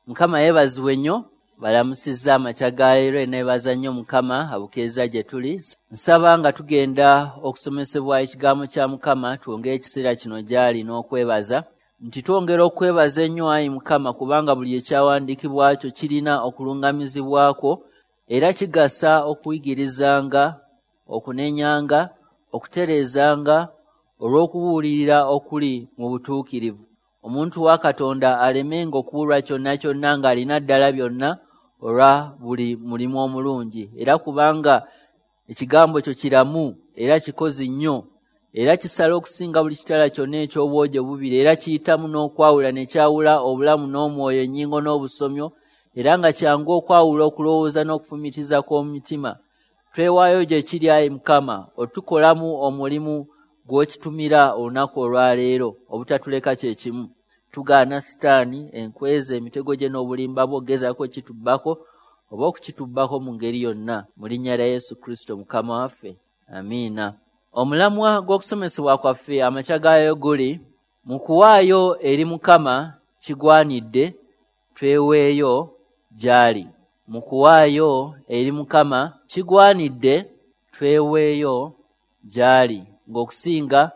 Mukama yeebazibwe nnyo, balamusizza amakya ga leero, eneebaza nnyo Mukama abukeeza gye tuli. Nsaba nga tugenda okusomesebwa ekigambo kya Mukama, twongere ekiseera kino gy'ali n'okwebaza, nti twongera okwebaza ennyo ayi Mukama, kubanga buli ekyawandiikibwa kyo kirina okulungamizibwako, era kigasa okuyigirizanga, okunenyanga, okutereezanga, olw'okubuulirira okuli mu butuukirivu. Omuntu wa Katonda alemenga okubulwa kyonna kyonna ng'alina ddala byonna olwa buli mulimu omulungi. Era kubanga ekigambo kyo kiramu era kikozi nnyo, era kisala okusinga buli kitala kyonna eky'obwogi obubiri, era kiyitamu n'okwawula ne kyawula obulamu n'omwoyo, ennyingo n'obusomyo, era nga kyangu okwawula okulowooza n'okufumiitiriza kw'omutima. Twewaayo gye kiri ayi Mukama, otukolamu omulimu gw'okitumira olunaku olwaleero, obutatuleka kye kimu. Tugaana Sitaani, enkweza, emitego gye n'obulimba bwo ogezaako okukitubbako oba okukitubbako mu ngeri yonna. Mu linnya lya Yesu Kristo Mukama waffe, amiina. Omulamwa gw'okusomesebwa kwaffe amakya gaayo guli mu kuwaayo eri Mukama kigwanidde tweweeyo gy'ali. Mu kuwaayo eri Mukama kigwanidde tweweeyo gy'ali. Ng'okusinga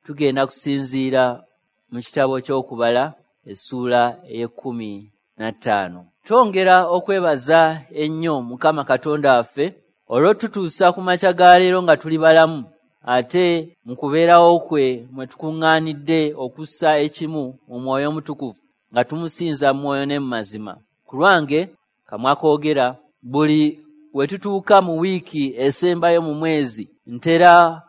tugenda kusinziira mu kitabo ky'Okubala essuula ey'e15. Twongera okwebaza ennyo Mukama Katonda waffe olw'otutuusa ku makya ga leero nga tuli balamu, ate mu kubeerawo kwe mwe tukuŋŋaanidde okussa ekimu mu Mwoyo Omutukuvu nga tumusinza mu mwoyo ne mu mazima. Ku lwange kamwa koogera, buli we tutuuka mu wiiki esembayo mu mwezi ntera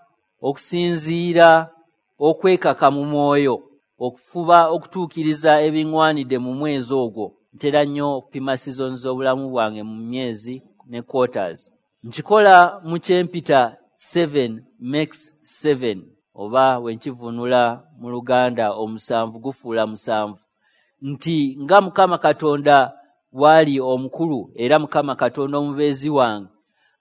okusinziira okwekaka mu mwoyo okufuba okutuukiriza ebiŋŋwanidde mu mwezi ogwo. Ntera nnyo okupima seasons z'obulamu bwange mu myezi ne quarters. Nkikola mu kyempita 7 makes 7, oba we nkivuunula mu Luganda omusanvu gufuula musanvu, nti nga Mukama Katonda bw'ali omukulu era Mukama Katonda omubeezi wange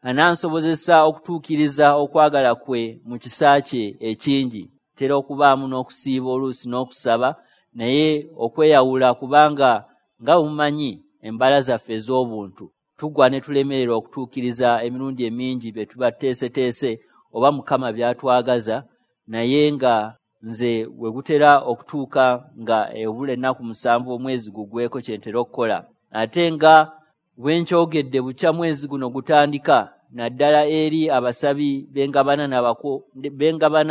anansobozesa okutuukiriza okwagala kwe mu kisa kye ekingi. Ntera okubaamu n'okusiiba oluusi n'okusaba, naye okweyawula, kubanga nga bwe mumanyi embala zaffe ez'obuntu tugwa ne tulemererwa okutuukiriza emirundi emingi bye tuba tuteeseteese oba Mukama by'atwagaza, naye nga nze we gutera okutuuka nga ebula ennaku 7 omwezi gugweko kye ntera okukola. Ate nga bwe nkyogedde bukya mwezi guno gutandika, naddala eri abasabi bengabana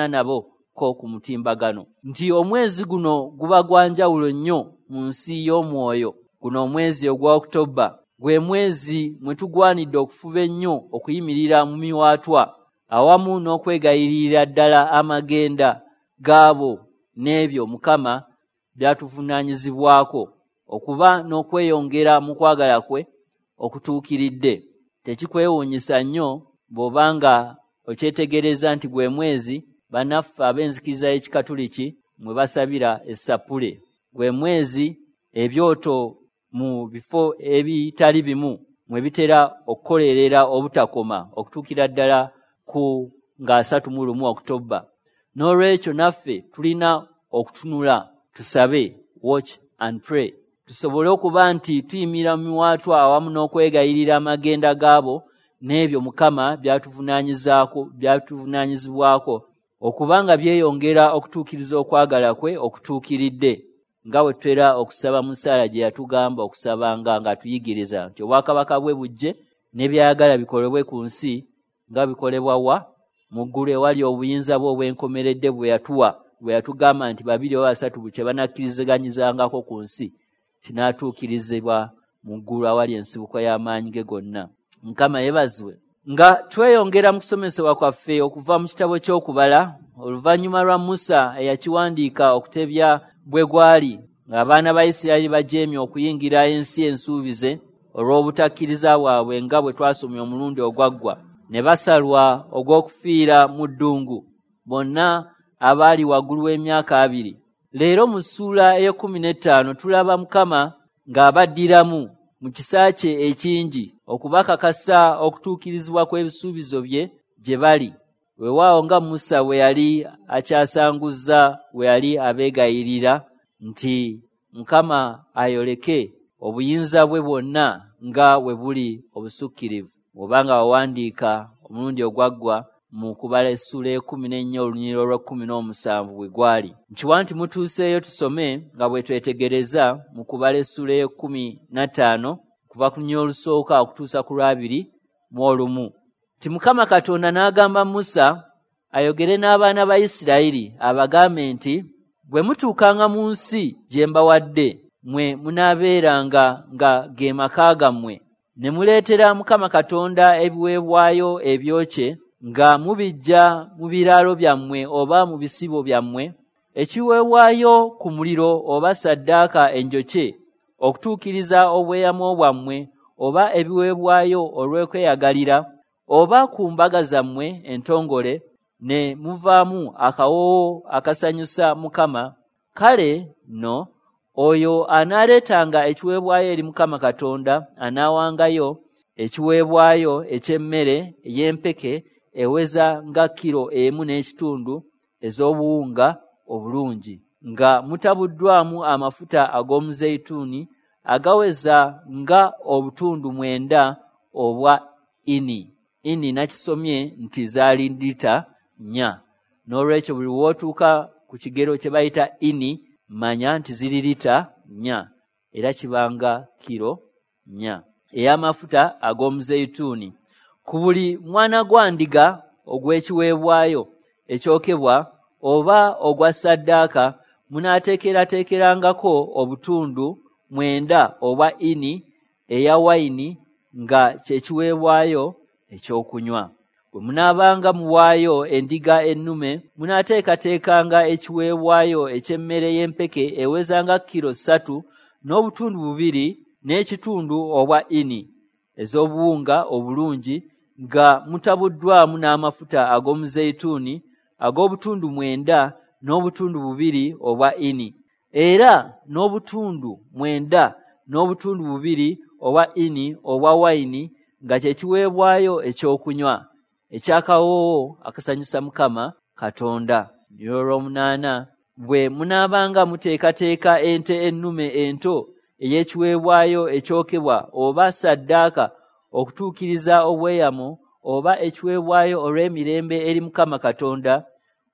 nabo ko ku mutimbagano, nti omwezi guno guba gwa njawulo nnyo mu nsi y'omwoyo. Guno omwezi ogwa Oktoba gwe mwezi mwe tugwanidde okufuba ennyo okuyimirira mu miwaatwa awamu n'okwegayirira ddala amagenda gaabo n'ebyo Mukama by'atuvunaanyizibwako, okuba n'okweyongera mu kwagala kwe okutuukiridde. Tekikwewuunyisa nnyo bw'obanga okyetegereza nti gwe mwezi bannaffe ab'enzikiriza y'Ekikatuliki mwe basabira essapule. Gwe mwezi ebyoto mu bifo ebitali bimu mwe bitera okukolerera obutakoma okutuukira ddala ku nga 31 Oktoba. N'olwekyo naffe tulina okutunula, tusabe, watch and pray, tusobole okuba nti tuyimira mu miwaatwa awamu n'okwegayirira amagenda gaabo n'ebyo Mukama byatuvunaanyizibwako, okuba nga byeyongera okutuukiriza okwagala kwe okutuukiridde, nga bwe tutera okusaba mu ssaala gye yatugamba okusabanga ng'atuyigiriza nti obwakabaka bwe bujje n'ebyayagala bikolebwe ku nsi nga bikolebwa wa mu ggulu ewali obuyinza bwe obw'enkomeredde bwe yatuwa, bwe yatugamba nti 2 oba 3 kye banakkiriziganyizangako ku nsi kinaatuukirizibwa mu ggulu awali ensibuko y'amaanyi ge gonna. Mukama yeebazibwe. Nga tweyongera mu kusomesebwa kwaffe okuva mu kitabo ky'Okubala, oluvannyuma lwa Musa eyakiwandiika okutebya bwe gwali ng'abaana ba Isirayiri bajeemye okuyingira ensi ensuubize olw'obutakkiriza bwabwe nga bwe twasomye omulundi ogwaggwa, ne basalwa ogw'okufiira mu ddungu bonna abaali waggulu w'emyaka 20. Leero mu ssuula ey'e15 tulaba Mukama ng'abaddiramu mu kisa kye ekingi okubakakasa okutuukirizibwa kw'ebisuubizo bye gye bali. Weewaawo nga Musa bwe yali akyasanguzza bwe yali abeegayirira nti Mukama ayoleke Obuyinza bwe bwonna nga bwe buli obusukkirivu. Bw'obanga wawandiika omulundi ogwaggwa mu Kubala essula 14 olunyiriri olw'e17 bwe gwali. Nkiwa nti mutuuseeyo tusome nga bwe twetegereza mu Kubala essula 15 kuva ku lunyiriri olusooka okutuusa ku lw'abiri mu olumu. Nti Mukama Katonda n'agamba Musa ayogere n'abaana ba Isirayiri abagambe nti, bwe mutuukanga mu nsi gye mbawadde, mmwe munaabeeranga nga ge maka gammwe, ne muleetera Mukama Katonda ebiweebwayo ebyokye nga mubiggya mu biraalo byammwe oba mu bisibo byammwe, ekiweebwayo ku muliro oba ssaddaaka enjokye okutuukiriza obweyamo bwammwe oba ebiweebwayo olw'okweyagalira oba ku mbaga zammwe entongole, ne muvaamu akawoowo akasanyusa Mukama. Kale nno oyo anaaleetanga ekiweebwayo eri Mukama Katonda anaawangayo ekiweebwayo eky'emmere ey'empeke eweza nga kilo 1.5 ez'obuwunga obulungi, nga mutabuddwamu amafuta ag'omuzeyituuni agaweza nga obutundu 9 obwa ini. Ini nakisomye nti zaali lita 4. N'olwekyo buli w'otuuka ku kigero kye bayita ini, manya nti ziri lita 4, era kibanga kilo 4 ey'amafuta ag'omuzeyituuni. Ku buli mwana gwa ndiga ogw'ekiweebwayo ekyokebwa oba ogwa ssaddaaka munaateekerateekerangako obutundu 9 obwa ini eya wayini nga kye kiweebwayo ekyokunywa. Bwe munaabanga muwaayo endiga ennume, munaateekateekanga ekiweebwayo eky'emmere y'empeke eweza nga kilo 3 n'obutundu 2.5 obwa ini ez'obuwunga obulungi, nga mutabuddwamu n'amafuta ag'omuzeyituuni ag'obutundu 9 n'obutundu 2 obwa ini, era n'obutundu 9 n'obutundu 2 obwa ini obwa wayini nga kye kiweebwayo ekyokunywa ekyakawoowo akasanyusa Mukama Katonda. 8 Bwe munaabanga muteekateeka ente ennume ento ey'ekiweebwayo ekyokebwa oba ssaddaaka okutuukiriza obweyamo oba ekiweebwayo olw'emirembe eri Mukama Katonda,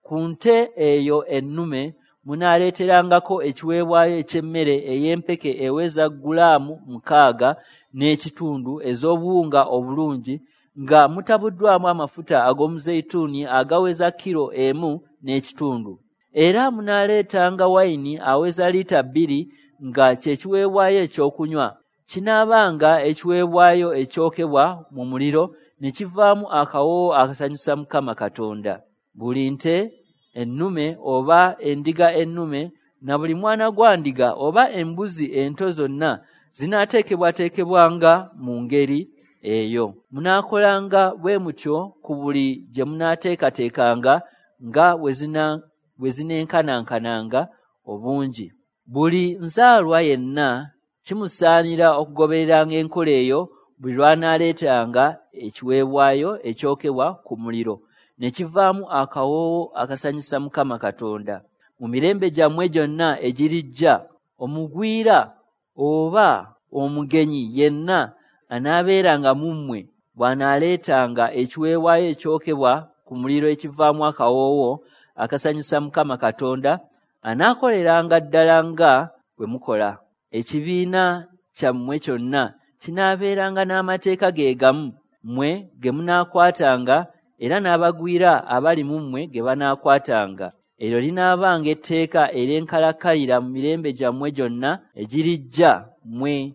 ku nte eyo ennume munaaleeterangako ekiweebwayo eky'emmere ey'empeke eweza gulaamu 6.5 ez'obuwunga obulungi, nga mutabuddwamu amafuta ag'omuzeyituuni agaweza kilo 1.5. Era munaaleetanga wayini aweza lita 2 nga kye kiweebwayo ekyokunywa. Kinaabanga ekiweebwayo ekyokebwa mu muliro ne kivaamu akawoowo akasanyusa Mukama Katonda. Buli nte ennume oba endiga ennume na buli mwana gwa ndiga oba embuzi ento zonna zinaateekebwateekebwanga mu ngeri eyo. Munaakolanga bwe mutyo ku buli gye munaateekateekanga nga bwe zineenkanankananga obungi. Buli nzaalwa yenna kimusaanira okugobereranga enkola eyo buli lw'anaaleetanga ekiweebwayo ekyokebwa ku muliro, ne kivaamu akawoowo akasanyusa Mukama Katonda. Mu mirembe gyammwe gyonna egirijja, omugwira oba omugenyi yenna anaabeeranga mu mmwe bw'anaaleetanga ekiweebwayo ekyokebwa ku muliro ekivaamu akawoowo akasanyusa Mukama Katonda, anaakoleranga ddala nga bwe mukola. Ekibiina kyammwe kyonna kinaabeeranga n'amateeka ge gamu mmwe ge munaakwatanga, era n'abagwira abali mu mmwe ge banaakwatanga. Eryo linaabanga etteeka ery'enkalakkalira mu mirembe gyammwe gyonna egirijja, mmwe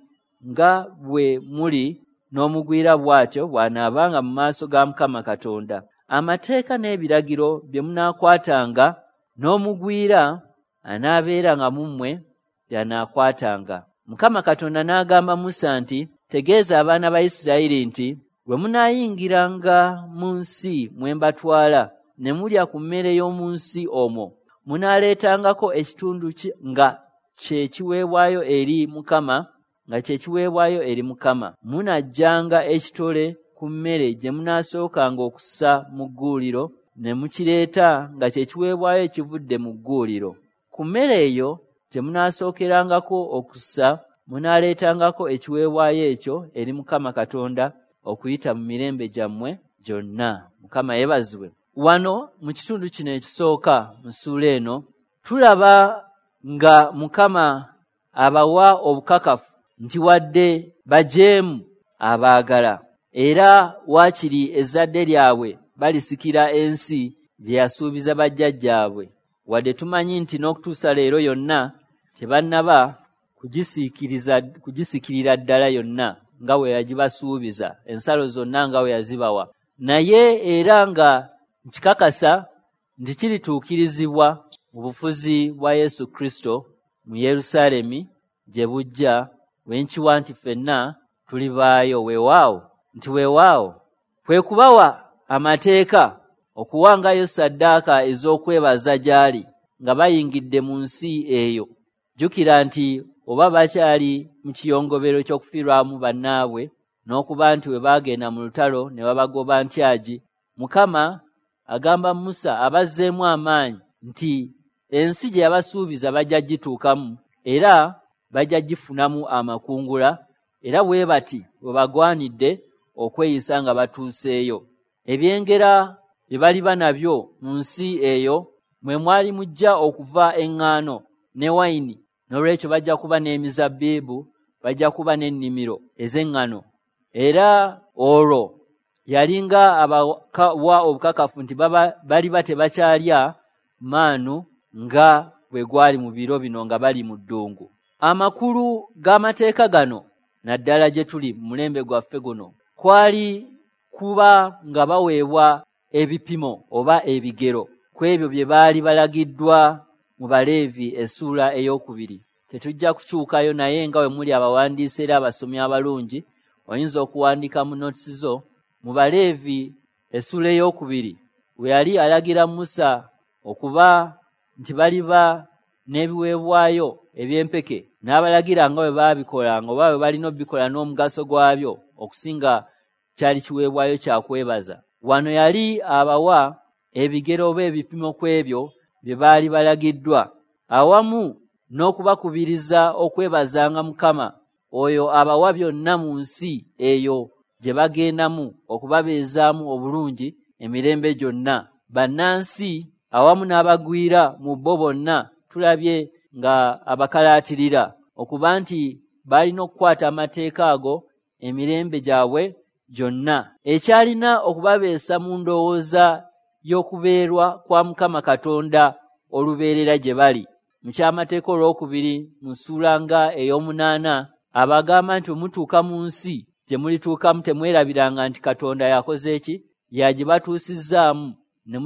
nga bwe muli n'omugwira bw'atyo bw'anaabanga mu maaso ga Mukama Katonda. Amateeka n'ebiragiro bye munaakwatanga n'omugwira anaabeeranga mu mmwe by'anaakwatanga. Mukama Katonda n'agamba Musa nti, tegeeza abaana ba Isirayiri nti, bwe munaayingiranga mu nsi mwe mbatwala ne mulya ku mmere y'omu nsi omwo, munaaleetangako ekitundu nga kye kiweebwayo eri Mukama, nga kye kiweebwayo eri Mukama. Munaggyanga ekitole ku mmere gye munaasookanga okussa mu gguuliro, ne mukireeta nga kye kiweebwayo ekivudde mu gguuliro. Ku mmere eyo gye munaasookerangako okussa, Munaaleetangako ekiweebwayo ekyo eri Mukama Katonda okuyita mu mirembe gyammwe gyonna. Mukama yeebazibwe. Wano mu kitundu kino ekisooka mu ssuula eno tulaba nga Mukama abawa obukakafu nti wadde bajeemu abaagala, era waakiri ezzadde lyabwe balisikira ensi gye yasuubiza bajjajjaabwe. Wadde tumanyi nti n'okutuusa leero yonna tebannaba kugisikirira ddala yonna nga bwe yagibasuubiza, ensalo zonna nga bwe yazibawa, naye era nga nkikakasa nti kirituukirizibwa mu bufuzi bwa Yesu Kristo mu Yerusaalemi gye bujja, we nkiwa nti ffenna tulibaayo. Weewaawo nti weewaawo kwe kubawa amateeka okuwangayo ssaddaaka ez'okwebaza gy'ali nga bayingidde mu nsi eyo. Jjukira nti oba bakyali mu kiyongobero ky'okufiirwamu bannaabwe n'okuba nti we baagenda mu lutalo ne babagoba ntyagi, Mukama agamba Musa abazzeemu amaanyi nti ensi gye yabasuubiza bajja gituukamu era bajja gifunamu amakungula, era bwe bati bwe bagwanidde okweyisa nga batuuseeyo. Ebyengera bye baliba nabyo mu nsi eyo mwe mwali mujja okuva eŋŋaano ne wayini, n'olwekyo bajja kuba n'emizabbibu, bajja kuba n'ennimiro ez'eŋŋano. Era olwo yalinga abawa obukakafu nti baliba tebakyalya maanu nga bwe gwali mu biro bino nga bali mu ddungu. Amakulu g'amateeka gano naddala gye tuli mu mulembe gwaffe guno kwali kuba nga baweebwa ebipimo oba ebigero ku ebyo bye baali balagiddwa mu Baleevi essuula 2. Tetujja kukyukayo, naye nga bwe muli abawandiisi era abasomi abalungi, oyinza okuwandiika mu notes zo. Mu Baleevi essuula 2 we yali alagira Musa okuba nti baliba n'ebiweebwayo eby'empeke, n'abalagira nga bwe baabikolanga oba bwe balina obikola n'omugaso gwabyo okusinga kyali kiweebwayo kya kwebaza. Wano yali abawa ebigero oba ebipimo ku ebyo bye baali balagiddwa, awamu n'okubakubiriza okwebazanga Mukama oyo abawa byonna mu nsi eyo gye bagendamu okubabeezaamu obulungi emirembe gyonna. Bannansi awamu n'abagwira mu bo bonna tulabye nga abakalaatirira okuba nti balina okukwata amateeka ago emirembe gyabwe gyonna. Ekyalina okubabeesa mu ndowooza y'okubeerwa kwa Mukama Katonda olubeerera gye bali. Mu kyamateeka olwokubiri mu ssuula nga 8 abagamba nti mutuuka mu nsi gye mulituukamu temwerabiranga nti Katonda yakoze ki, yagibatuusizzaamu, ne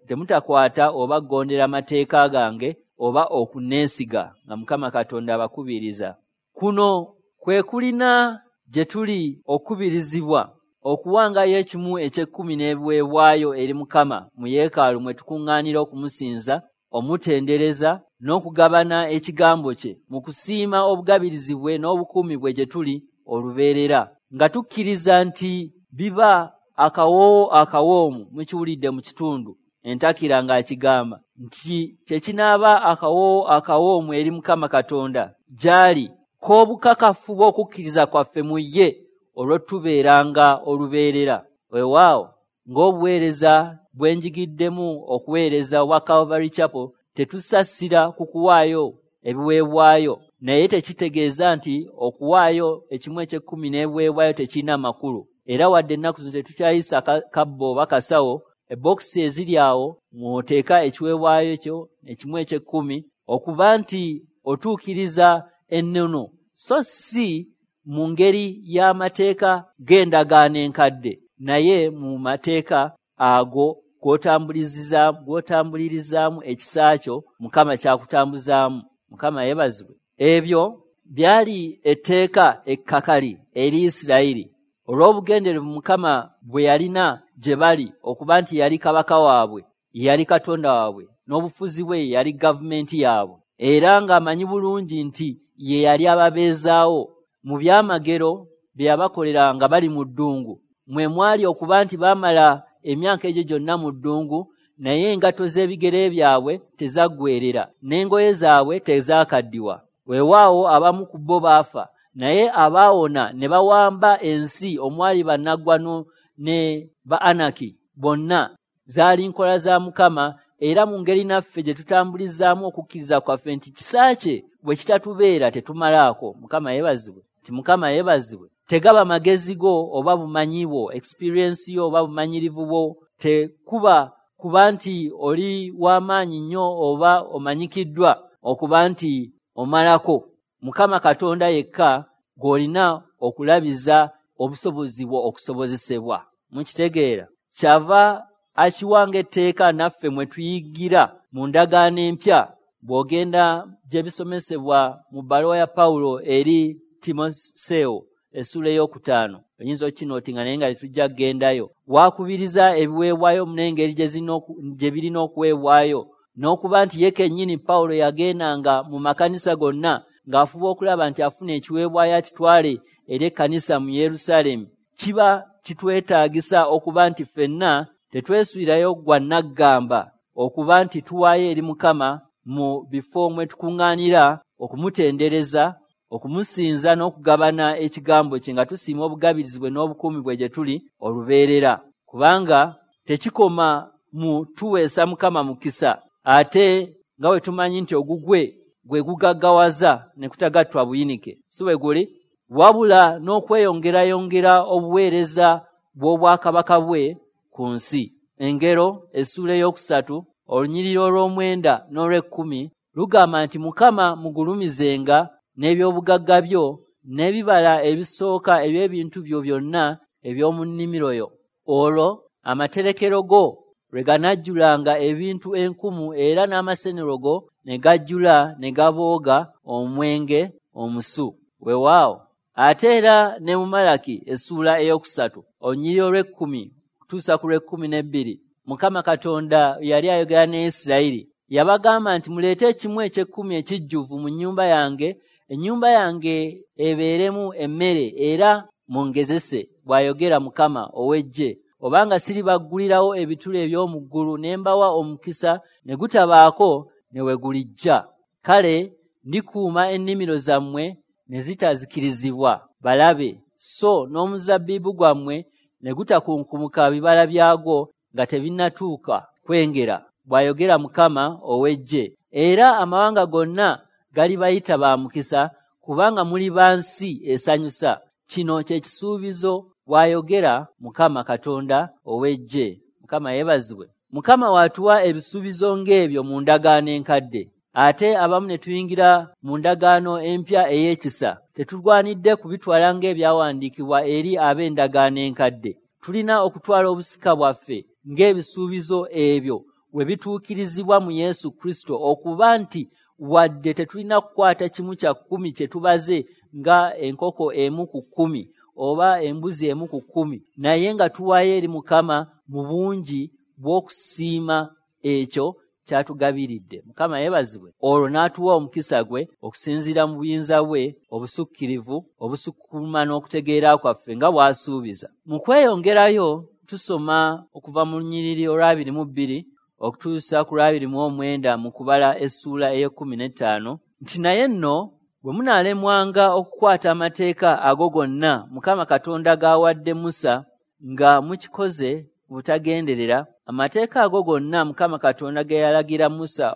temutakwata oba kugondera mateeka gange oba okuneesiga, nga Mukama Katonda abakubiriza. Kuno kwe kulina gye tuli okukubirizibwa okuwangayo ekimu eky'ekkumi n'ebiweebwayo eri Mukama mu yeekaalu mwe tukuŋŋaanira okumusinza, omutendereza n'okugabana ekigambo kye mu kusiima obugabirizi bwe n'obukuumi bwe gye tuli olubeerera, nga tukkiriza nti biba akawoowo akawoomu. Mukiwulidde mu kitundu entakira ng'akigamba nti kye kinaaba akawoowo akawoomu eri Mukama Katonda gy'ali, k'obukakafu bw'okukkiriza kwaffe mu ye olw'otubeeranga olubeerera. Weewaawo ng'obuweereza bwe njigiddemu okuweereza obwa Calvary Chapel, tetusasira ku kuwaayo ebiweebwayo, naye tekitegeeza nti okuwaayo ekimu eky'ekkumi n'ebiweebwayo tekirina makulu. Era wadde ennaku zino tetukyayisa kabbo oba kasawo, ebokisi eziri awo mw'oteeka ekiweebwayo kyo ekimu eky'ekkumi okuba nti otuukiriza ennono, so si mu ngeri y'amateeka g'endagaano enkadde, naye mu mateeka ago gw'otambulirizaamu ekisa kyo Mukama kyakutambuzaamu. Mukama yeebazibwe. Ebyo byali etteeka ekkakali eri Isirayiri olw'obugenderevu Mukama bwe yalina gye bali okuba nti yali kabaka waabwe, yali Katonda waabwe, n'obufuzi bwe yali gavumenti yaabwe, era ng'amanyi bulungi nti ye yali ababeezaawo mu byamagero bye yabakolera nga bali mu ddungu. Mwe mwali okuba nti baamala emyaka egyo gyonna mu ddungu, naye engatto z'ebigere byabwe tezaggweerera n'engoye zaabwe tezaakaddiwa. Weewaawo abamu ku bo baafa, naye abaawona ne bawamba ensi omwali bannaggwano ne ba Anaki bonna. Zaali nkola za Mukama, era mu ngeri naffe gye tutambulizaamu okukkiriza kwaffe nti kisa kye bwe kitatubeera tetumalaako. Mukama yeebazibwe, nti Mukama yeebazibwe. Tegaba magezi go oba bumanyi bwo, experience yo oba bumanyirivu bwo, tekuba kuba nti oli w'amaanyi nnyo oba omanyikiddwa okuba nti omalako. Mukama Katonda yekka gw'olina okulabiza obusobozi bwo okusobozesebwa. Mukitegeera? Kyava akiwanga etteeka naffe mwe tuyigira mu ndagaano empya. Bw'ogenda gye bisomesebwa mu bbaluwa ya Pawulo eri Timoseewo essuula 5, oyinza okinootinga naye nga tetujja kugendayo. Waakubiriza ebiweebwayo n'engeri gye birina okuweebwayo, n'okuba nti ye kennyini Pawulo yagendanga mu makanisa gonna ng'afuba okulaba nti afuna ekiweebwayo akitwale eri ekkanisa mu Yerusaalemi. Kiba kitwetaagisa okuba nti ffenna tetwesuulirayo gwa nnaggamba okuba nti tuwaayo eri Mukama mu bifo mwe tukuŋŋaanira okumutendereza, okumusinza n'okugabana ekigambo kye nga tusiima obugabirizi bwe n'obukuumi bwe gye tuli olubeerera. Kubanga tekikoma mu tuweesa Mukama mukisa, ate nga bwe tumanyi nti ogugwe gwe gugaggawaza ne kutagattwa buyinike, si bwe guli, wabula n'okweyongerayongera obuweereza bw'obwakabaka bwe ku nsi. Engero essuula 3 olunyiriri olw'omwenda n'olw'ekkumi lugamba nti Mukama mugulumizenga n'ebyobugagga byo n'ebibala ebisooka eby'ebintu byo byonna eby'omu nnimiro yo. Olwo amaterekero go lwe ganajjulanga ebintu enkumu, era n'amasenero go ne gajjula ne gabooga omwenge omusu. Weewaawo. Ate era ne mu Malaki essuula 3 olunyiriri olw'ekkumi kutuusa ku lw'ekkumi n'ebbiri, Mukama Katonda yali ayogera ne Isirayiri. Yabagamba nti muleete ekimu eky'ekkumi ekijjuvu mu nnyumba yange, ennyumba yange ebeeremu emmere, era mungezese, bw'ayogera Mukama ow'eggye, obanga siribaggulirawo ebituli eby'omu ggulu ne mbawa omukisa ne gutabaako ne we gulijja. Kale ndikuuma ennimiro zammwe ne zitazikirizibwa balabe, so n'omuzabbibu gwammwe ne gutakunkumuka bibala byagwo nga tebinnatuuka kwengera, bw'ayogera Mukama ow'eggye. Era amawanga gonna galibayita ba mukisa, kubanga muli ba nsi esanyusa. Kino kye kisuubizo, bw'ayogera Mukama Katonda ow'eggye. Mukama yeebazibwe. Mukama w'atuwa ebisuubizo ng'ebyo mu ndagaano enkadde, ate abamu ne tuyingira mu ndagaano empya ey'ekisa. Tetulwanidde kubitwala ng'ebyawandiikibwa eri ab'endagaano enkadde. Tulina okutwala obusika bwaffe ng'ebisuubizo ebyo we bituukirizibwa mu Yesu Kristo, okuba nti wadde tetulina kukwata kimu kya kkumi kye tubaze nga enkoko 1 ku 10 oba embuzi 1 ku 10, naye nga tuwaayo eri Mukama mu bungi bw'okusiima ekyo kyatugabiridde. Mukama yeebazibwe. Olwo n'atuwa omukisa gwe okusinziira mu buyinza bwe obusukkirivu obusukkuluma n'okutegeera kwaffe nga bw'asuubiza. Mu kweyongerayo tusoma okuva mu lunyiriri olwa 22 okutuusa ku lwa 29 mu kubala essuula 15 nti naye nno bwe munaalemwanga okukwata amateeka ago gonna Mukama Katonda g'awadde Musa nga mukikoze butagenderera, amateeka ago gonna Mukama Katonda ge yalagira Musa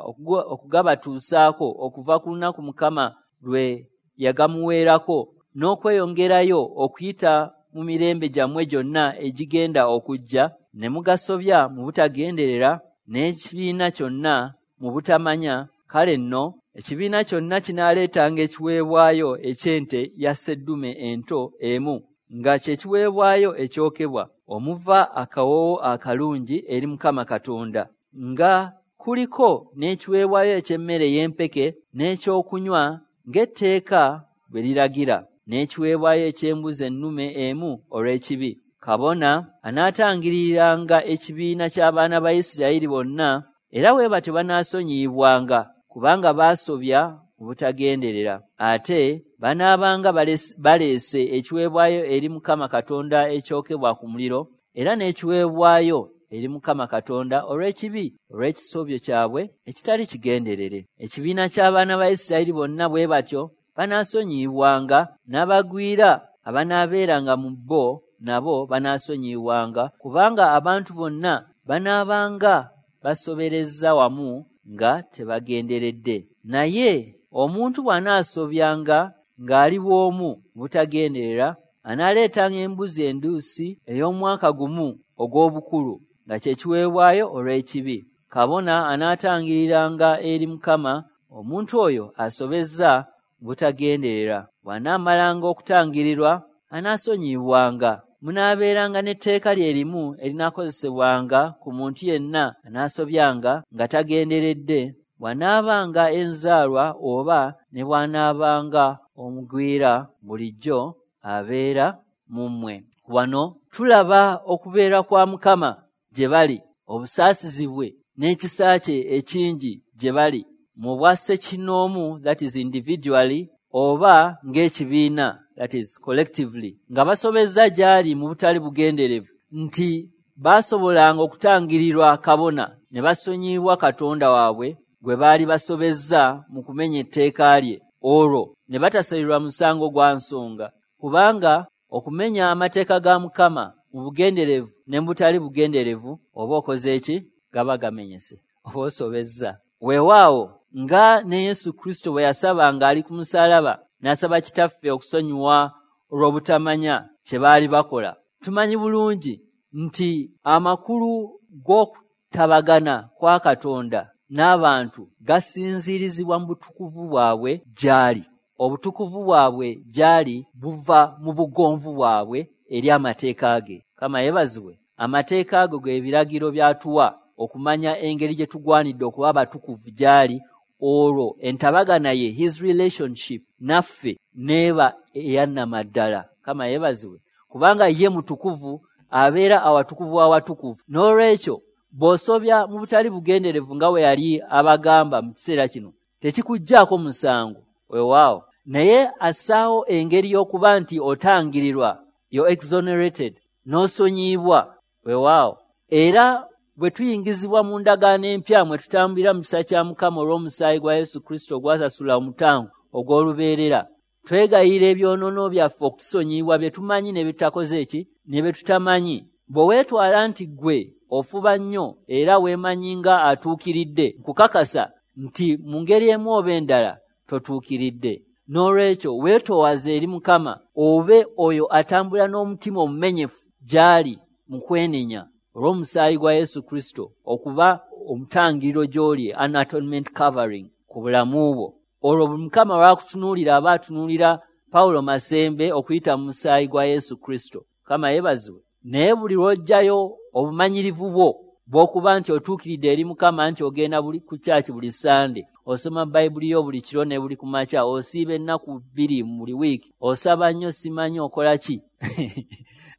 okugabatuusaako okuva ku lunaku Mukama lwe yagamuweerako, n'okweyongerayo okuyita mu mirembe gyammwe gyonna egigenda okujja, ne mugasobya mu butagenderera n'ekibiina kyonna mu butamanya, kale nno ekibiina kyonna kinaaleetanga ekiweebwayo eky'ente ya sseddume ento emu nga kye kiweebwayo ekyokebwa omuva akawoowo akalungi eri Mukama Katonda, nga kuliko n'ekiweebwayo eky'emmere y'empeke n'ekyokunywa ng'etteeka bwe liragira, n'ekiweebwayo eky'embuzi ennume emu olw'ekibi. Kabona anaatangiriranga ekibiina ky'abaana ba Isirayiri bonna, era bwe batyo banaasonyiyibwanga, kubanga baasobya mu butagenderera. Ate banaabanga baleese ekiweebwayo eri Mukama Katonda ekyokebwa ku muliro, era n'ekiweebwayo eri Mukama Katonda olw'ekibi, olw'ekisobyo kyabwe ekitali kigenderere. Ekibiina ky'abaana ba Isirayiri bonna bwe batyo banaasonyiyibwanga, n'abagwira abanaabeeranga mu bo nabo banaasonyiyibwanga, kubanga abantu bonna banaabanga basoberezza wamu nga tebagenderedde. Naye omuntu bw'anaasobyanga ng'ali bw'omu butagenderera, anaaleetanga embuzi enduusi ey'omwaka gumu ogw'obukulu nga kye kiweebwayo olw'ekibi. Kabona anaatangiriranga eri Mukama omuntu oyo asobezza butagenderera. Bw'anaamalanga okutangirirwa, anaasonyiyibwanga. Munaabeeranga n'etteeka lye limu erinaakozesebwanga ku muntu yenna anaasobyanga nga tagenderedde, bw'anaabanga enzaalwa oba ne bw'anaabanga omugwira bulijjo abeera mu mmwe. Wano tulaba okubeera kwa Mukama gye bali, obusaasizi bwe n'ekisa kye ekingi gye bali mu bwa ssekinnoomu, that is individually, oba ng'ekibiina, that is collectively, nga basobezza gy'ali mu butali bugenderevu, nti baasobolanga okutangirirwa kabona ne basonyiyibwa Katonda waabwe gwe baali basobezza mu kumenya etteeka lye, olwo ne batasalirwa musango gwa nsonga. Kubanga okumenya amateeka ga Mukama mu bugenderevu ne mu butali bugenderevu, oba okoze ki? Gaba gamenyese, oba osobezza. Weewaawo nga ne Yesu Kristo bwe yasaba ng'ali ku musaalaba, n'asaba Kitaffe okusonyiwa olw'obutamanya kye baali bakola. Tumanyi bulungi nti amakulu g'okutabagana kwa Katonda n'abantu gasinziirizibwa mu butukuvu bwabwe gy'ali. Obutukuvu bwabwe gy'ali buva mu bugonvu bwabwe eri amateeka ge. Mukama yeebazibwe. Amateeka ago ge biragiro by'atuwa okumanya engeri gye tugwanidde okuba abatukuvu gy'ali, olwo entabagana ye, his relationship naffe, n'eba eyannamaddala. Mukama yeebazibwe. Kubanga ye mutukuvu, abeera awatukuvu awatukuvu. N'olwekyo bw'osobya mu butali bugenderevu nga bwe yali abagamba mu kiseera kino, tekikuggyaako musango. Weewaawo. Naye assaawo engeri y'okuba nti otangirirwa, you're exonerated, n'osonyiyibwa. Weewaawo. Era bwe tuyingizibwa mu ndagaano empya mwe tutambulira mu kisa kya Mukama olw'omusaayi gwa Yesu Kristo ogwasasula omutango ogw'olubeerera, twegayirira ebyonoono byaffe okutusonyiyibwa bye tumanyi ne bye tutakoze ki, ne bye tutamanyi. Bwe weetwala nti ggwe ofuba nnyo era weemanyi nga atuukiridde, nkukakasa nti mu ngeri emu oba endala totuukiridde. N'olwekyo weetoowaze eri Mukama, obe oyo atambula n'omutima omumenyefu gy'ali mu kwenenya olw'omusaayi gwa Yesu Kristo okuba omutangiriro gy'oli, an atonement covering ku bulamu bwo. Olwo buli Mukama lw'akutunuulira aba atunuulira Pawulo Masembe okuyita mu musaayi gwa Yesu Kristo. Mukama yeebazibwe. Naye buli lw'oggyayo obumanyirivu bwo bw'okuba nti otuukiridde eri Mukama, nti ogenda buli ku kyaki buli Sande, osoma Bayibuli yo buli kiro ne buli ku makya, osiiba ennaku 2 mu buli wiiki, osaba nnyo, simanyi okola ki,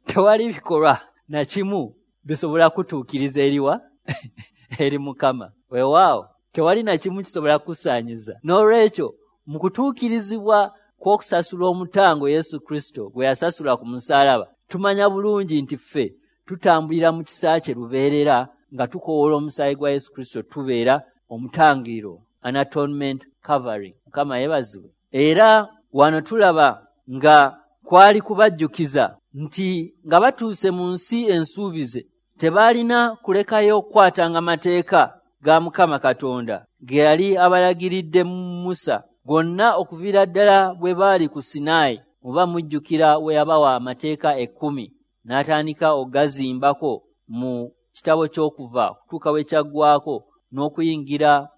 tewali bikolwa na kimu bisobola kutuukiriza eriwa eri Mukama. Weewaawo, tewali na kimu kisobola kukusaanyiza. N'olwekyo mu kutuukirizibwa kw'okusasula omutango Yesu Kristo gwe yasasula ku musaalaba, tumanya bulungi nti ffe tutambulira mu kisa kye lubeerera nga tukowoola omusaayi gwa Yesu Kristo, tubeera omutangiriro, an atonement covering. Mukama yeebazibwe. Era wano tulaba nga kwali kubajjukiza nti nga batuuse mu nsi ensuubize, tebaalina kulekayo okukwatanga mateeka ga Mukama Katonda ge yali abalagiridde Musa gonna okuviira ddala bwe baali ku Sinaayi. Muba mujjukira we yabawa amateeka 10 n'atandika okugazimbako mu kitabo ky'Okuva kutuuka we kyaggwaako n'okuyingira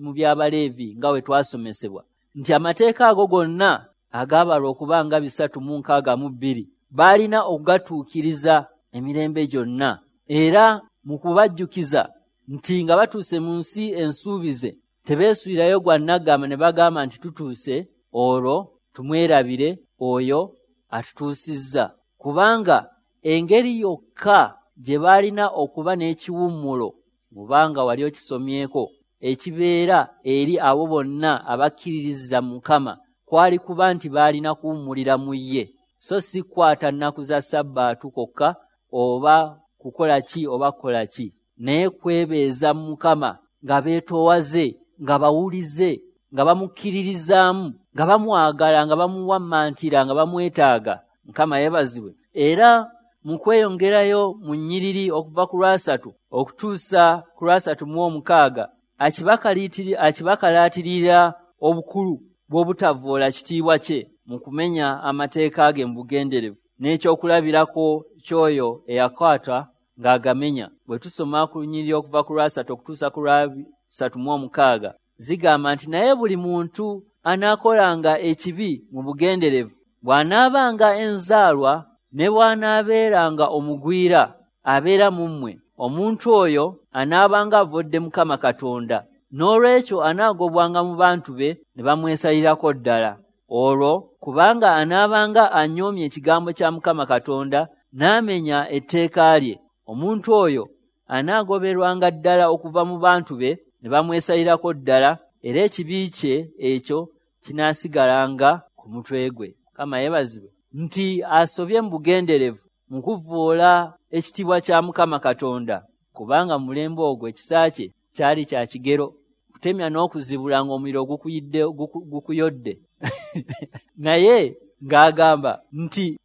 mu by'Abaleevi nga we twasomesebwa nti amateeka ago gonna agaabalwa okuba nga 362 baalina okugatuukiriza emirembe gyonna. Era mu kubajjukiza nti nga batuuse mu nsi ensuubize, tebeesuulirayo gwa nnaggamba ne bagamba nti tutuuse, olwo tumwerabire oyo atutuusizza. Kubanga engeri yokka gye baalina okuba n'ekiwummulo, mubanga wali okisomyeko, ekibeera eri abo bonna abakkiririza Mukama, kwali kuba nti baalina kuwummulira mu ye, so si kukwata nnaku za Sabbaatu kwokka oba kukola ki oba kukola ki, naye kwebeeza mu Mukama nga beetoowaze, nga bawulize, nga bamukkiririzaamu, nga bamwagala, nga bamuwammantira, nga bamwetaaga. Mukama yeebazibwe. Era mu kweyongerayo mu nnyiriri okuva ku lwasatu okutuusa ku 36 akibakalaatirira obukulu bw'obutavvoola kitiibwa kye mu kumenya amateeka ge mu bugenderevu, n'ekyokulabirako ky'oyo eyakwata ng'agamenya. Bwe tusoma ku nnyiriri okuva ku 3 okutuusa ku 36 zigamba nti, naye buli muntu anaakolanga ekibi mu bugenderevu, bw'anaabanga enzaalwa ne bw'anaabeeranga omugwira abeera mu mmwe, omuntu oyo anaabanga avodde Mukama Katonda, n'olwekyo anaagobwanga mu bantu be ne bamwesalirako ddala. Olwo kubanga anaabanga anyoomye ekigambo kya Mukama Katonda n'amenya etteeka lye, omuntu oyo anaagoberwanga ddala okuva mu bantu be ne bamwesalirako ddala, era ekibi kye ekyo kinaasigalanga ku mutwe gwe. Mukama yeebazibwe nti asobye mu bugenderevu mu kuvvoola ekitiibwa kya Mukama Katonda, kubanga mu mulembe ogwo ekisa kye kyali kya kigero, kutemya n'okuzibula ng'omuliro gukuyodde. Naye ng'agamba nti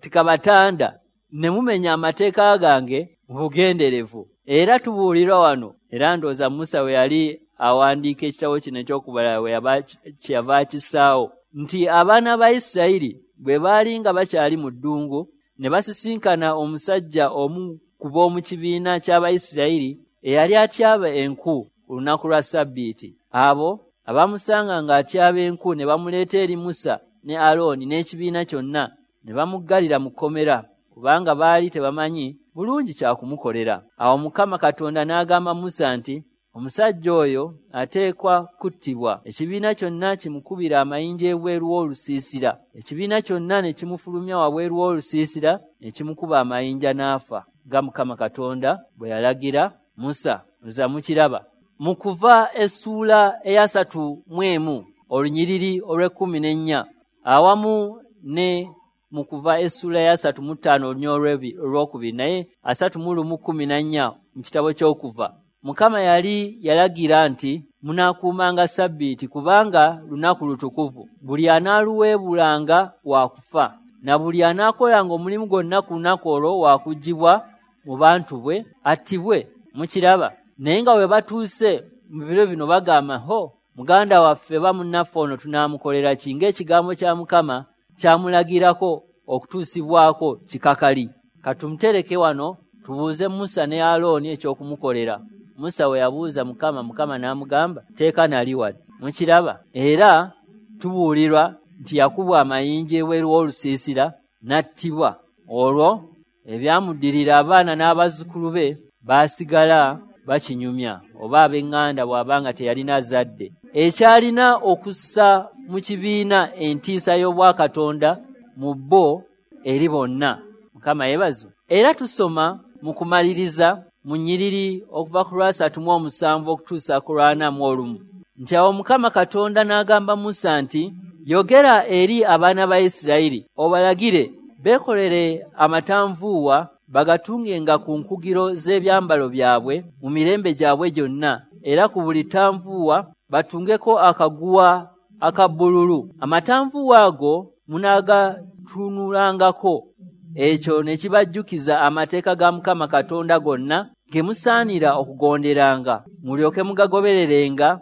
tekabatanda ne mumenya amateeka gange mu bugenderevu. Era tubuulirwa wano, era ndowooza Musa we yali awandiika ekitabo kino eky'okubala kyeyava akissaawo, nti abaana ba Isirayiri bwe baali nga bakyali mu ddungu ne basisinkana omusajja omu ku b'omu kibiina ky'Abayisirayiri eyali atyaba enku ku lunaku lwa Ssabbiiti. Abo abamusanga ng'atyaba enku ne bamuleeta eri Musa ne Alooni n'ekibiina kyonna, ne bamuggalira mu kkomera, kubanga baali tebamanyi bulungi kya kumukolera. Awo Mukama Katonda n'agamba Musa nti, omusajja oyo ateekwa kuttibwa, ekibiina kyonna kimukubira amayinja ebweru w'olusiisira. Ekibiina kyonna ne kimufulumya wabweru w'olusiisira ne kimukuba amayinja n'afa, nga Mukama Katonda bwe yalagira Musa. Nza mukiraba mu Kuva essuula eya 31 olunyiriri olw'e14, awamu ne mu Kuva essuula eya 35 olunyiriri olwokubiri, naye 31:14 mu kitabo ky'Okuva. Mukama yali yalagira nti munaakuumanga Ssabbiiti kubanga lunaku lutukuvu, buli anaaluweebulanga wa kufa, na buli anaakolanga omulimu gwonna ku lunaku olwo wa kuggyibwa mu bantu bwe attibwe. Mukiraba? Naye nga bwe batuuse mu biro bino bagamba, ho muganda waffe ba munnaffe ono tunaamukolera ki, ng'ekigambo kya Mukama kyamulagirako okutuusibwako kikakali. Katumutereke wano tubuuze Musa ne Alooni eky'okumukolera. Musa we yabuuza Mukama, Mukama n'amugamba teeka nali wadde. Mukiraba? Era tubuulirwa nti yakubwa amayinja ebweru w'olusiisira n'attibwa. Olwo ebyamuddirira abaana n'abazzukulu be baasigala bakinyumya, oba ab'eŋŋanda bw'abanga teyalina zadde. Ekyalina okussa mu kibiina entiisa y'obwakatonda mu bo eri bonna. Mukama yeebazibwe. Era tusoma mu kumaliriza mu nnyiriri okuva ku 37 okutuusa ku 41 nti awo Mukama Katonda n'agamba Musa nti, yogera eri abaana ba Isirayiri obalagire beekolere amatanvuuwa bagatungenga ku nkugiro z'ebyambalo byabwe mu mirembe gyabwe gyonna, era ku buli tanvuuwa batungeko akaguwa aka bbululu. Amatanvuuwa ago munaagatunulangako, ekyo ne kibajjukiza amateeka ga Mukama Katonda gonna ge musaanira okugonderanga, mulyoke mugagobererenga,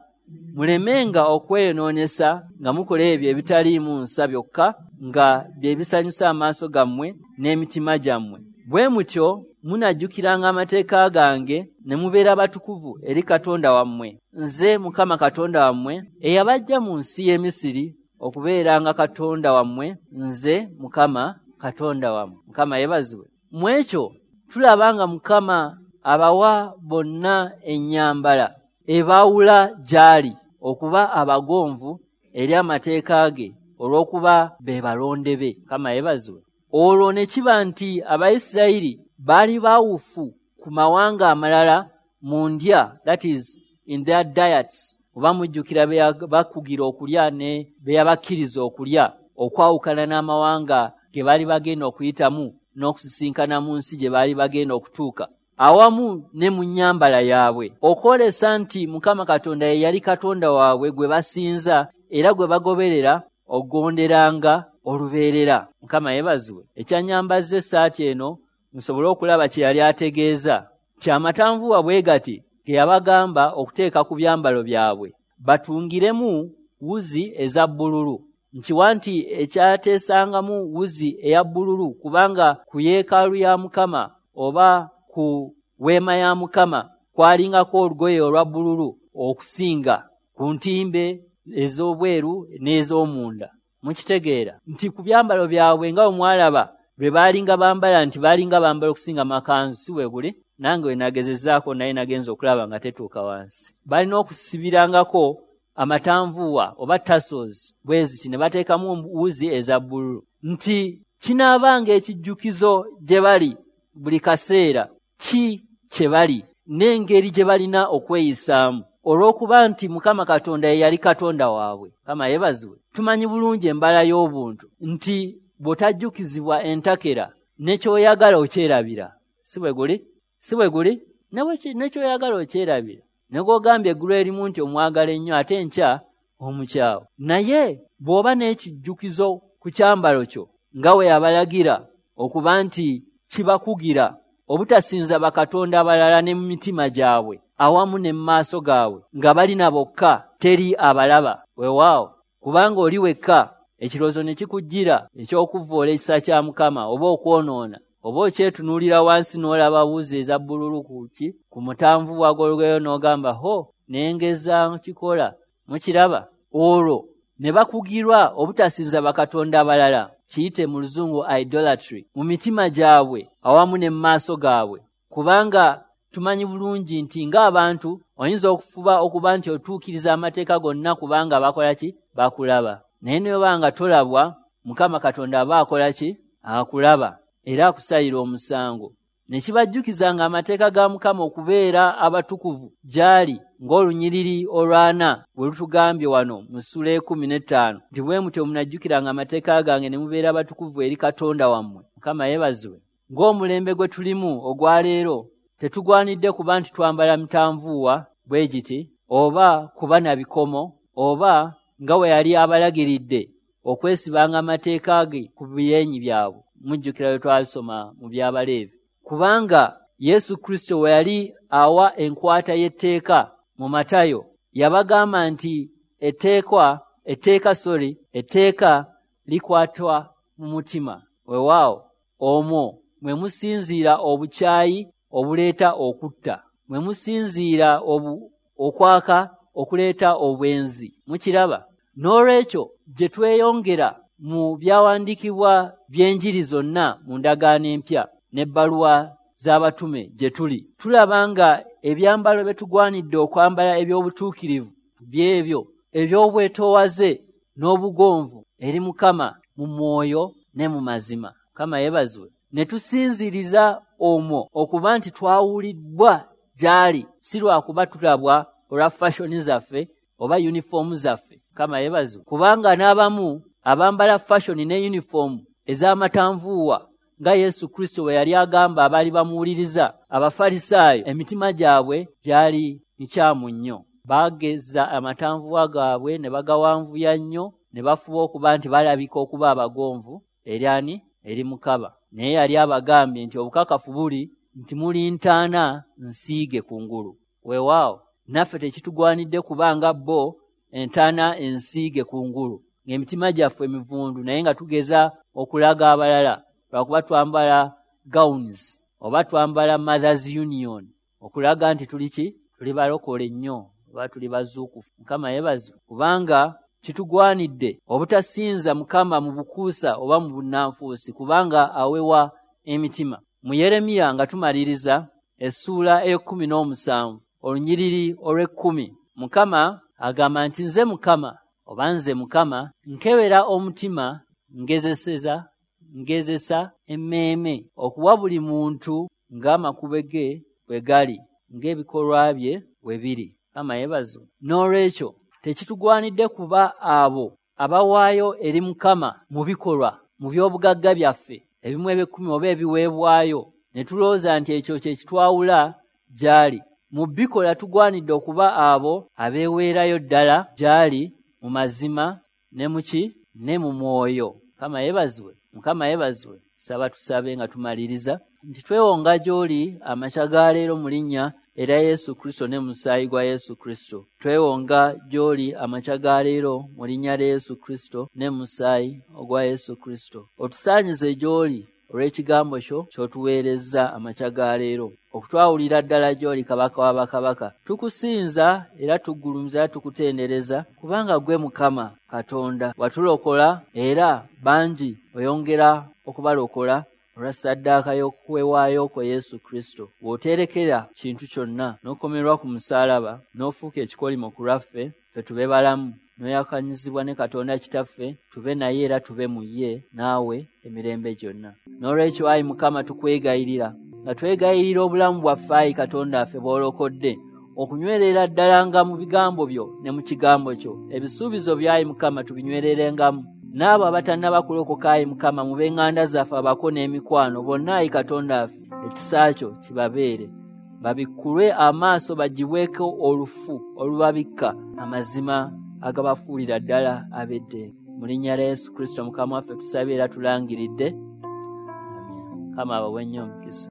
mulemenga okweyonoonesa nga mukola ebyo ebitaliimu nsa byokka nga bye bisanyusa amaaso gammwe n'emitima gyammwe. Bwe mutyo munajjukiranga amateeka gange ne mubeera batukuvu eri Katonda wammwe. Nze Mukama Katonda wammwe eyabaggya mu nsi y'e Misiri okubeeranga Katonda wammwe, nze Mukama Katonda wammwe. Mukama yeebazibwe. Mu ekyo tulaba nga Mukama abawa bonna ennyambala ebaawula gy'ali okuba abagonvu eri amateeka ge olw'okuba be balonde be. Mukama yeebazibwe. Olwo ne kiba nti Abayisirayiri baali baawufu ku mawanga amalala mu ndya, that is in their diets, oba mujjukira be bakugira okulya ne be yabakkiriza okulya okwawukana n'amawanga ge baali bagenda okuyitamu, n'okusisinkana mu nsi gye baali bagenda okutuuka, awamu ne mu nnyambala yaabwe, okwolesa nti Mukama Katonda ye yali Katonda waabwe gwe basinza era gwe bagoberera okugonderanga olubeerera. Mukama yeebazibwe. Ekyannyambazza essaati eno musobole okulaba kye yali ategeeza, nti amatanvuwa bwe gati ge yabagamba okuteeka ku byambalo byabwe, batungiremu wuzi eza bbululu. Nkiwa nti ekyateesangamu wuzi eya bbululu, kubanga ku yeekaalu ya Mukama oba ku weema ya Mukama kwalingako olugoye olwa bbululu okusinga ku ntimbe ez'obweru n'ez'omunda. Mukitegeera nti ku byambalo byabwe nga bwe mwalaba lwe baalinga bambala, nti baalinga bambala okusinga makanzu, si bwe guli? Nange we nagezezzaako naye nagenza okulaba nga tetuuka wansi. Balina okusibirangako amatanvuwa oba tassels bwe ziti, ne bateekamu wuzi eza bbululu, nti kinaabanga ekijjukizo gye bali buli kaseera ki kye bali n'engeri gye balina okweyisaamu, olw'okuba nti Mukama Katonda ye yali Katonda waabwe. Mukama yeebazibwe. Tumanyi bulungi embala y'obuntu nti bw'otajjukizibwa entakera ne ky'oyagala okyerabira. Si bwe guli? Si bwe guli? Ne ky'oyagala okyerabira. Ne gw'ogambye eggulo erimu nti omwagala ennyo, ate enkya omukyawa. Naye bw'oba n'ekijjukizo ku kyambalo kyo nga we yabalagira okuba nti kibakugira obutasinza bakatonda abalala ne mu mitima gyabwe awamu ne mu maaso gaabwe, nga balina bokka teri abalaba. Weewaawo, kubanga oli wekka, ekirowoozo ne kikujjira eky'okuvvoola ekisa kya Mukama oba okwonoona, oba okyetunuulira wansi n'olaba wuzi eza bbululu ku ki ku mutanvuwa gw'olugoye n'ogamba, ho nengeza kikola. Mukiraba? Olwo ne bakugirwa obutasinza bakatonda abalala, kiyite mu luzungu idolatry, mu mitima gyabwe awamu ne mu maaso gaabwe. Kubanga tumanyi bulungi nti ng'abantu oyinza okufuba okuba nti otuukiriza amateeka gonna kubanga bakola ki? Bakulaba. Naye ne bw'oba nga tolabwa, Mukama Katonda aba akola ki? Akulaba era akusalira omusango. Ne kibajjukiza nga amateeka ga Mukama okubeera abatukuvu gy'ali, ng'olunyiriri olwana bwe lutugambye wano mu ssula 15 nti bwe mutyo munajjukiranga amateeka gange ne mubeera abatukuvu eri Katonda wammwe. Mukama yeebazibwe. Ng'omulembe gwe tulimu ogwa leero, tetugwanidde kuba nti twambala mitanvuwa bwe giti, oba kuba na bikomo, oba nga we yali abalagiridde okwesibanga amateeka ge ku byenyi byabwe. Mujjukira bwe twasoma mu by'Abaleevi. Kubanga Yesu Kristo we yali awa enkwata y'etteeka mu Matayo, yabagamba nti etteeka likwatwa mu mutima. Weewaawo, omwo mwe musinziira obukyayi obuleeta okutta, mwe musinziira okwaka okuleeta obwenzi. Mukiraba? N'olwekyo gye tweyongera mu byawandiikibwa by'enjiri zonna mu ndagaano empya n'ebbaluwa z'abatume gye tuli, tulaba nga ebyambalo bye tugwanidde okwambala eby'obutuukirivu byebyo eby'obwetoowaze n'obugonvu eri Mukama mu mwoyo ne mu mazima. Mukama yeebazibwe. Ne tusinziiriza omwo okuba nti twawulibbwa gy'ali, si lwakuba tulabwa olwa fashoni zaffe oba yunifoomu zaffe. Mukama yeebazibwe. Kubanga n'abamu abambala fashoni ne yunifoomu ez'amatanvuuwa nga Yesu Kristo bwe yali agamba abaali bamuwuliriza, Abafalisaayo emitima gyabwe gyali mikyamu nnyo. Baageza amatanvuwa gaabwe ne bagawanvuya nnyo, ne bafuba okuba nti balabika okuba abagonvu eri ani? Eri Mukama. Naye yali abagambye nti obukakafu buli nti muli ntaana nsiige kungulu. Weewaawo, naffe tekitugwanidde kuba nga bo entaana ensiige kungulu, ng'emitima gyaffe emivundu, naye nga tugeza okulaga abalala lwakuba twambala gowns oba twambala Mothers Union okulaga nti tuli ki? Tuli balokole nnyo oba tuli bazuukufu. Mukama yeebazibwe. Kubanga kitugwanidde obutasinza Mukama mu bukuusa oba mu bunnanfuusi, kubanga awewa emitima. Mu Yeremiya nga tumaliriza essuula 17 olunyiriri olw'ekumi, Mukama agamba nti nze Mukama oba nze Mukama nkebera omutima, ngezesa emmeeme okuwa buli muntu ng'amakubo ge bwe gali, ng'ebikolwa bye bwe biri. Mukama yeebazibwe. N'olwekyo tekitugwanidde kuba abo abawaayo eri Mukama mu bikolwa, mu by'obugagga byaffe, Ebimu eby'ekkumi oba ebiweebwayo, ne tulowooza nti ekyo kye kitwawula gy'ali. Mu bikola tugwanidde okuba abo abeeweerayo ddala gy'ali mu mazima ne mu ki? Ne mu mwoyo. Mukama yeebazibwe, Mukama yeebazibwe. Saba tusabe nga tumaliriza nti twewonga gy'oli amakya ga leero mu linnya era Yesu Kristo ne musaayi gwa Yesu Kristo. Twewonga gy'oli amakya ga leero mu linnya lya Yesu Kristo ne musaayi ogwa Yesu Kristo. Otusaanyize gy'oli olw'ekigambo kyo ky'otuweerezza amakya ga leero, okutwawulira ddala gy'oli Kabaka wa bakabaka. Tukusinza era tugulumiza era tukutendereza, kubanga ggwe Mukama Katonda watulokola, era bangi oyongera okubalokola olwa ssaddaaka y'okwewaayo kwo Yesu Kristo. Bw'oteerekera kintu kyonna n'okomerwa ku musaalaba n'ofuuka ekikolimo ku lwaffe, ffe tube balamu, n'oyakanyizibwa ne Katonda Kitaffe, tube naye era tube mu ye naawe emirembe gyonna. N'olwekyo ayi Mukama tukwegayirira, nga twegayirira obulamu bwaffe ayi Katonda waffe bw'olokodde, okunywerera ddala nga mu bigambo byo ne mu kigambo kyo. Ebisuubizo byo ayi Mukama tubinywererengamu. N'abo abatannaba kulokoka ayi Mukama mu b'eŋŋanda zaffe abako n'emikwano bonna ayi Katonda waffe, ekisa kyo kibabeere. Babikkulwe amaaso baggyibweko olufu olubabikka amazima agabafuulira ddala ab'eddembe. Mu linnya lya Yesu Kristo Mukama waffe tusabye era tulangiridde. Amiina. Mukama abawe nnyo omukisa.